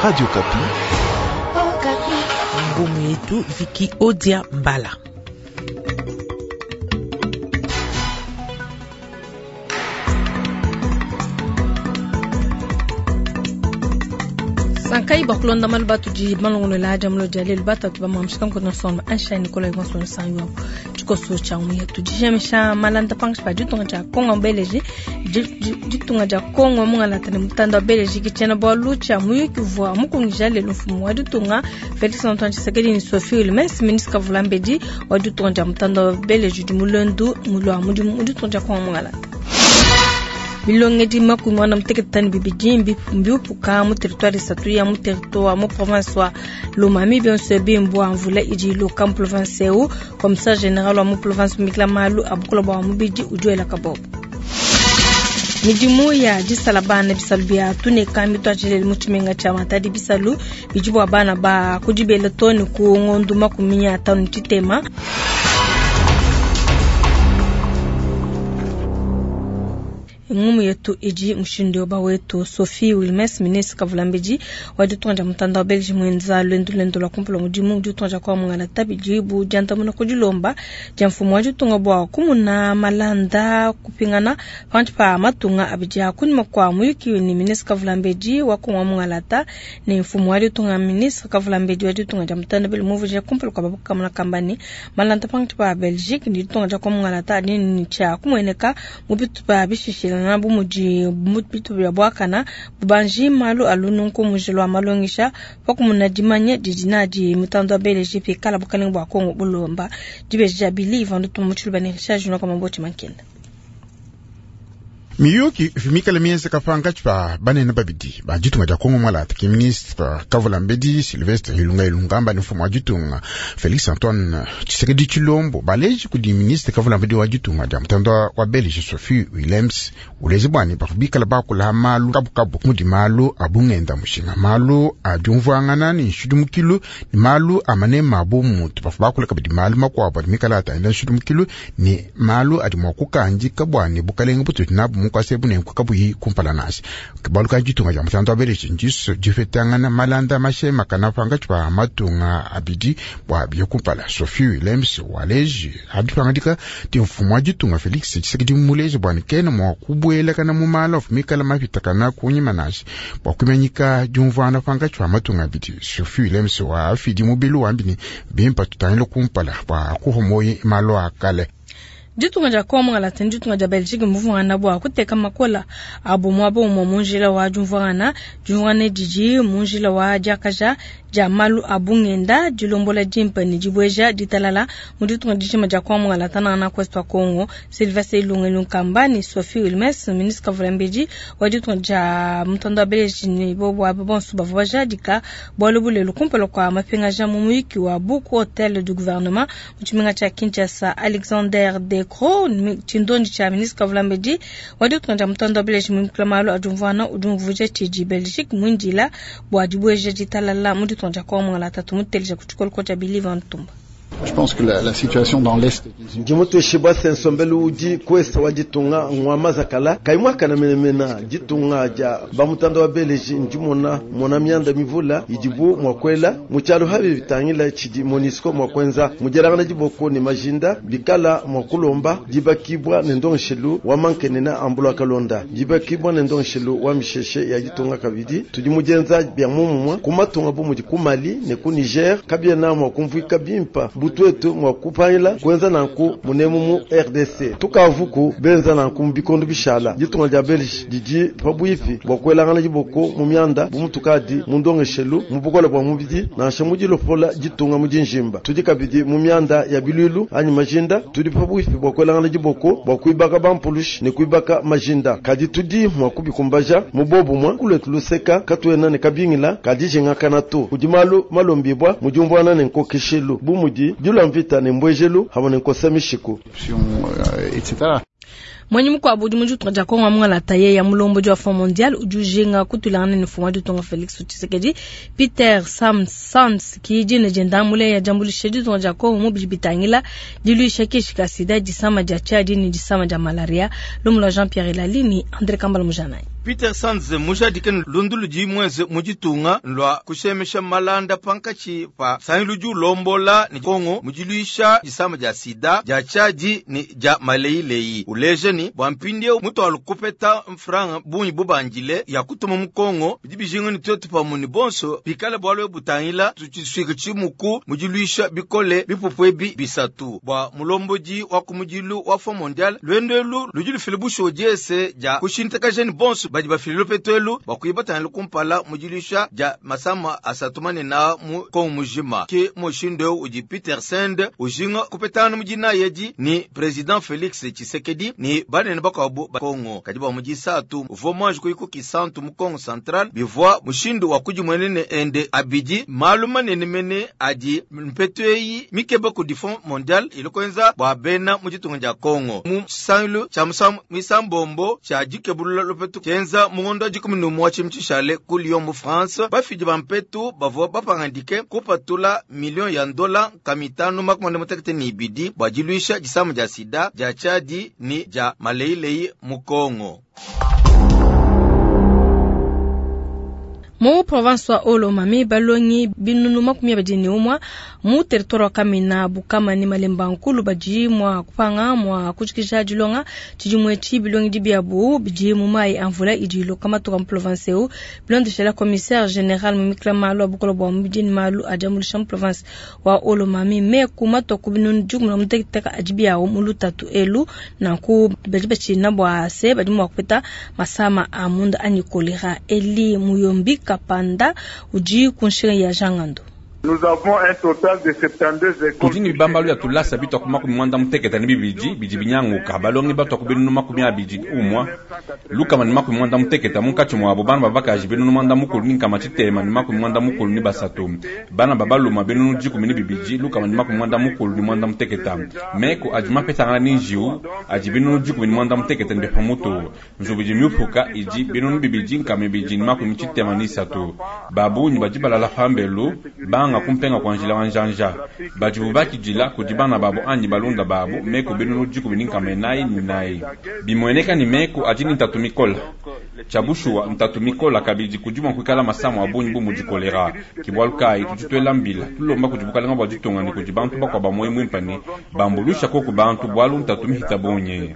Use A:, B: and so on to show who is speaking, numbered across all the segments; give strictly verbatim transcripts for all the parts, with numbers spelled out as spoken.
A: Radio Okapi.
B: Ngumu yetu Viki Odia Mbala.
C: Sankai bakulonda malu batudi malongolola aja mulo dia lelu batatu bamamshika nkona sonba ansha Nicolas Gonson sanyo tshikoso tsha muye tudijamisha malanda pangashi pa ditunga dia Kongo Belgique ditunga dia Kongo mungalata ne mutanda wa Belgique tshiena bualu tshia muyuki uvua mukungija lelu mfumu wa ditunga Felix Antoine Tshisekedi ne Sophie Wilmès ministre Kavulambedi wa ditunga dia mutanda wa Belgique di mulendu mulwa mudimu mu ditunga dia Kongo mungalata. Bilongedi makumi muanda mutekete ne bibidi mbiupuka mu territoire isatu ya mu territoire mu province wa Lomami bionso ebi mbua mvula idi iloka mu province eu. Commissaire général wa mu province Mikla Malu abukula bua mubidi udi wela kabobo. Midimu ya disala bana bisalu bia tuneka mituajilele mu tshimenga tshia Matadi bisalu bidi bua bana ba kudibela too ne ku ngondu makumi atanu tshitema. Ngumu yetu idi mushindu wa wetu Sophie Wilmès ministre Kavulambedi wa ditunga dia mutanda wa Belgique mwenza lwendu lwendu lwa kumpala mudimu ditunga dia kwa mungala tabidi bu diandamuna ku dilomba dia mfumu wa ditunga bua kumuna malanda kupingana panshi pa matunga abidi a kunyima kwa muyuki ni ministre Kavulambedi wa Kongo mungalata ne mfumu wa ditunga ministre Kavulambedi wa ditunga dia mutanda bele muvuje kumpala kwa babukamuna kambani malanda panshi pa Belgique ni ditunga dia kwa mungalata ni tshia kumueneka mu bitupa bishishila na bu mudi bitu bya bwakana bubanji malu alununku mujilo wa malongisha pakumuna dimanya didi nadi mutando wa Belgique pe kala bukalenga bua Kongo bulomba dibeji dia bili ivandu tumutshilu bane Richard Junior kama mboti mankenda.
D: Miyuki vimikala mienza kapanga pa banene babidi ba ditunga dia Kongo mwalata ki ministre Kavulambedi Sylvestre Ilunga Ilunkamba ni mfumu wa ditunga Felix Antoine Tshisekedi Tshilombo baleji kudi ministre Kavulambedi wa ditunga dia mutanda wa Belgique Sophie Wilmès ulezi bwani bakubikala bakula malu kabukabu mudi malu abungenda mushinga malu adiumvuangana ni nshidumukilu ni malu amane mabu mutu bafu bakula kabidi malu makuabu adi mikala ataenda nshidumukilu ni malu adi mua kukandika bwani bukalenga bututu nabu kwase bune kabuyi kumpala nasi baluka ditunga dia mutanda wa Belgique ndiso difetangana malanda mashema kana panga pa matunga abidi bwa biye kumpala. Sophie Wilmès waleji adipangadika ti mfumu wa ditunga Felix Tshisekedi muleji bwani kena mwa kubuelakana mu mala ofumikala mapitakana kunyima nasi bwa kumanyika diumvuana panga pa matunga abidi. Sophie Wilmès wa afidi mubilu wambini bimpa tutangile kumpala bwa kuhomoyi malo akale.
C: Ditunga dia Kongo mungalata ne ditunga dia Belgique muvungana bua kuteka makola abo muaba umue mu njila wa diumvuangana diumvuangana didi mu njila wa diakaja dia malu a bungenda dilombola dimpe ne dibueja ditalala mu ditunga dijima dia Kongo mungalata na Ouest wa Congo. Sylvestre Ilunga Ilunkamba ne Sophie Wilmès ministre Kavulambedi wa ditunga dia mutanda wa Belgique ne bobo abo bonso bavua bajadika bualu bulelu kumpala kua mapingaja mu muyuki wa Buku Hotel du Gouvernement mu tshimenga tshia Kinshasa. Alexander De Croo tshindondi tshia ministre Kavulambedi wa ditunga dia mutanda wa Belgique mu malu adiumvuana udi tshidi Belgique muindila bua dibueja ditalala mu ditunga dia Kongo mungalata tumuteleja ku tshikoloko tshia Billy Van Tumba.
E: Je pense que la, la situation dans l'Est
F: Ndimutweshibwa sensombelu udi kwesa wa ditunga ngwa mazakala kaimwakana menemena ditunga dia bamutanda wa Belgique ndimona mona myanda mivula idibu mwakwela mukyalo habi bitangila chidi Monusco mwakwenza mujerangana diboko ne majinda bikala mwakulomba dibakibwa ne ndonshelu wa mankenena ambula kalonda dibakibwa ne ndonshelu wa misheshe ya ditunga kabidi tudi mujenza bya mumumwa kumatunga bu mudi ku Mali ne ku Niger kabyena mwakumvika bimpa butwetu mwakupaila kwenza nanku munemu mu R D C tukavuku benza nanku mbikondo bishala ditunga dia Belgique didi pabuipi bwa kwelangana diboko mu myanda bumutukadi mu ndongeshelu mu bukola bwa mubidi nansha mudilopola ditunga mu dinjimba tudi kabidi mu myanda ya bilulu anyi majinda tudi pabuipi bwa kwelangana diboko bwa kuibaka bampulushi ne kuibaka majinda kadi tudi mwakubikumbaja mu bobumwa kuletu luseka katuena ne kabingila kadi jingakana to kudi malu malombibwa mudiumvuana ne nkokeshelu bu mudi dilwa mvita ne mbwejelu hamwe ne nkosa mishiku
E: et cetera.
C: Mwenye mukwabu udi mu ditunga dia Kongo mungalata ye ya mulombodi wa Fonds mondial udi ujinga kutulangana ne mfumu wa ditunga Felix Tshisekedi. Peter Sam Sands ki dina dienda mule ya diambuluisha ditunga dia Kongo mu bidi bitangila diluisha kishi ka sida, disama dia tshiadi ne disama dia malaria. Lumu lua Jean Pierre Elali ni André Kambala Mujanai.
A: Peter Sands mujadike lundu ludi mweze mu ditunga lwa kushemesha malanda pankachi pa sangi ludi ulombola ni Kongo mudiluisha disama dia sida dia tshiadi ni dia maleileyi uleje ni bwa mpindie mutu alukupeta mfranga bunyi bubandile ya kutuma mu Kongo bidi bijinga ni twetu pamwe ni bonso bikale bwalo butangila tutshiswika tshimuku mudiluisha bikole bipupu ebi bisatu bwa mulombodi wa kumudilu wa Fonds mondial lwendelu ludi lufile busho diese dia kushintakaja ni bonso badi bafililo petwelu bakuyibatana kumpala mudiluisha dia masama asatumane na mu Kongo mujima ke mushindo udi Peter Sand ujinga kupetana mudina yedi ni president Felix Tshisekedi ni banene bakwabu ba Kongo kadi ba mudisatu uvo mwanji kuyiko kisantu mu Kongo Central bivwa mushindo wa kujimwenene ende abidi malu manene mene adi mpetweyi mikebe ku Fonds mondial ilikwenza bwa bena muditunga dia Kongo mu sangilu cha musamu misambombo cha dikebulula lopetu kenza mungondo dikumi numwa chimchishale ku Lyon mu France bafidi bampetu bavua bapangandike kupatula million ya ndola kamitano makumi mutekete ni ibidi bwa diluisha disamu dia sida dia chadi ni dia maleileyi mu Kongo.
C: Mu province wa Olomami balongi binunu makumi abidi ne umwa mu territoire wa Kamina Bukama ni Malemba Nkulu badi mwa kupanga mwa kujikija dilonga tshidimue tshi bilongi dibiabu bidi mu mai amvula idi iloka matuka mu province eu bilondeshela la commissaire général mu mikla malu abukola bua mubidi ni malu adiambuluisha mu province wa Olomami me kuma toku binunu dikumi na muteketeka adi biawu mu lutatu elu nanku badi batshina bua se badi mua kupeta masama a munda anyi kolera. Eli Muyombi Kapanda udi kunshinga ya Jangando.
G: Nous avons un total de soixante-douze écoles.
H: Tudi ni bibambalu ya tulasa bitwa ku makumi mwanda muteketa ni bibidi bidi binyanguka balongi batwa ku binunu makumi abidi umwa lukama ni makumi mwanda muteketa munkatshi mwabo bana babakaji binunu mwanda mukulu ni nkama tshitema ni makumi mwanda mukulu ni basatu bana babaluma binunu dikumi ni bibidi lukama ni makumi mwanda mukulu ni mwanda muteketa meko adi mapetangana ni njiu adi binunu dikumi ni mwanda muteketa ni bepamutu nzubu idi miupuka idi binunu bibidi nkama ibidi ni makumi tshitema ni isatu babunyi badi balala pambelu banga kumpenga kwa njila wanjanja badi bakidila kudi bana babo anyi balunda babo meko binunu dikumi ni nkama inayi ni nayi bimweneka ni meko adi ni ntatu mikola tshabushuwa ntatu mikola kabidi kudi mua kuikala masamu abunyi bu mudi kolera kibwalu kayi tudi tuela mbila tulomba kudi bukalenga bua ditunga ne kudi bantu bakua ba moyi muimpe ne bambulusha koku bantu bwalu ntatu mihita bunyi.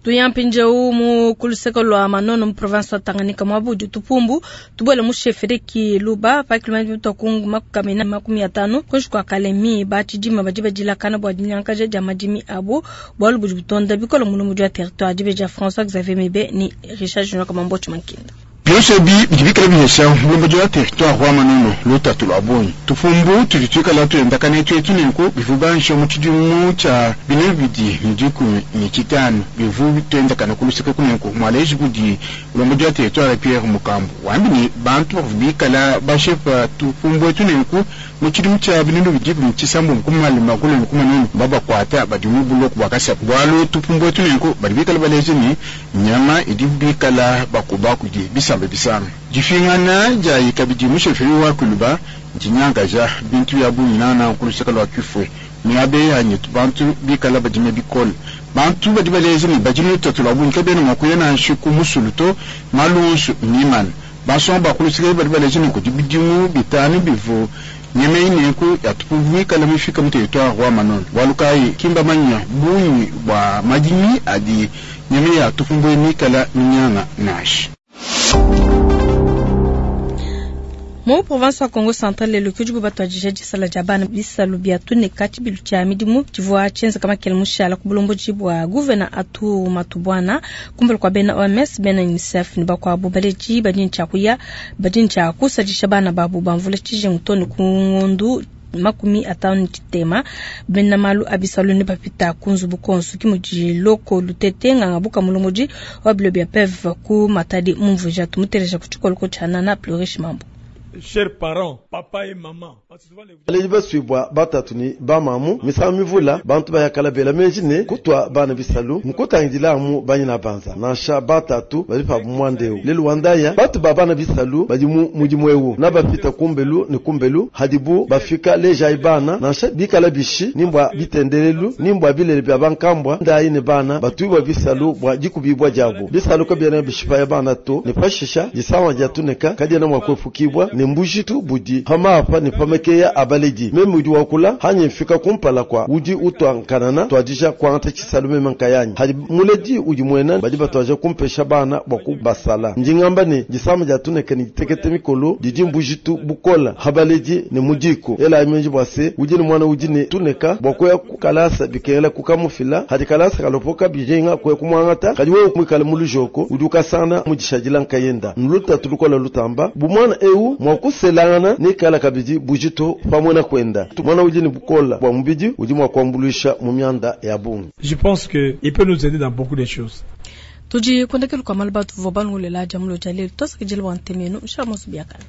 C: Tuyampinjeu mu kuluseko lwa Manono mu province wa Tanganyika mwabu udi tupumbu tubuele mu chefferie Luba pa kilomita mitokungu makumi makumi atano kunshi kwa Kalemi batshidima badi badilakana bua dinyankaja dia madimi abu bwalu budi butonda bikola mulumudi wa territoire dibe dia François Xavier Mebe ni Richard Junior Kamambochi Mankinda.
D: Byonso bi bidi bikala bihesha mulombodi wa territoire wa Manono lutatu lwa bunyi tufumbu tudi tuikala tuendakana twetu nenku bivu bansha mu tshidimu tshia binu bibidi ne dikumi ne tshitanu bivu tuendakana kuluseke kunenku mwaleji kudi mulombodi wa territoire Pierre Mukambu wambi ni bantu bavu bikala bashepa tufumbu etu nenku mu tshidimu tshia binu bibidi ne tshisambu kumalima kulenu kumanunu babakwata badi mu buloku bua kasapu bwalu tufumbu etu nenku badi bikala baleje ni nyama idi bikala bakuba kudi bisamba bisanga difingana dia ikabidi musheferi wa kuluba dinyangaja bintu bya bunyi nana kuluseka lwa kifwe miabe yanyi bantu bikala badime bikole bantu badi baleze ni badime tatu lwa bunyi kabena mwakuya na nshiku musuluto malunsu nimana basomba kuluseka badi baleze ni kudi bidimu bitanu bivu nyemei nenku yatupuvika mifika mu territoire wa Manono walukai kimba manya bunyi bwa madimi adi nyemei yatupumbwe mikala minyanga nashi.
C: Mu province wa Kongo Central lelo kudi batwadija disala dia bana bisalu bia tune kati bilu tshia midimu tshivua tshienza kama kele mushala ku bulomboji bua gouverneur Atu Matubwana kumbela kwa bena O M S bena UNICEF ni bakwabu baleji badi ntshia kuya badi ntshia kusadisha bana babu bamvula tshijengu tone ku ngondu makumi atano tshitema bena malu abisalu ne bapita kunzubu konsu kimudi loko lutete nganga buka mulomboji wa bilo bia P E V ku Matadi mumvuja tumutereja ku tshikoloko tshia nana Plurish Mambo.
I: Chers parents, papa et maman, parce que souvent les
F: baledi basuibwa batatu ni bamamu misangu mivula bantu bayakala bela menji ne kutwa bana bisalu mukutangidila banyina banza nansha batatu badi pa mwandeu lelu wandaya batu ba bana bisalu badi mu mudimu ewu na bapita kumbelu ne kumbelu hadibu bafika lejayi bana nansha bikala bishi nimbwa bitendelelu nimbwa bilele bya bankambwa ndayi ne bana batuibwa bisalu bwa dikubibwa diabu bisalu kabiena bishipaya bana to ne pashisha disawa dia tuneka kadiena mua kuepukibwa ne mbujitu budi pamapa ne pamekeya abaledi meme udi wakula hanyi mfika kumpala kwa udi utwa nkanana twadija kuangata tshisalu meme nkayanyi hadi muledi udi muena badi batwaja kumpesha bana bua kubasala ndingamba ne disama dia tuneka ne ditekete mikolo didi mbujitu bukola habaledi ne mudiku ela menji bua se udi ne mwana udi ne tuneka bua kuya kukalasa bikengela kukamufila hadi kalasa kalopoka bijenga kuya kumwangata kadi wewe mwikale mu lujoko udi ukasana mudishadila nkayenda nlutatu lukola lutamba bumwana eu mwa kuselangana nikala kabidi bujitu pamwe na kwenda mwana udi ne bukola bua mubidi udi mwa kuambuluisha mu mianda ya bungi
I: Je pense que il peut nous aider dans beaucoup de choses.
C: Tudi kundekelu kwa malu batu vua bangulela jamulo jalelu tosakijila bua ntemenu nshala mosu biakana.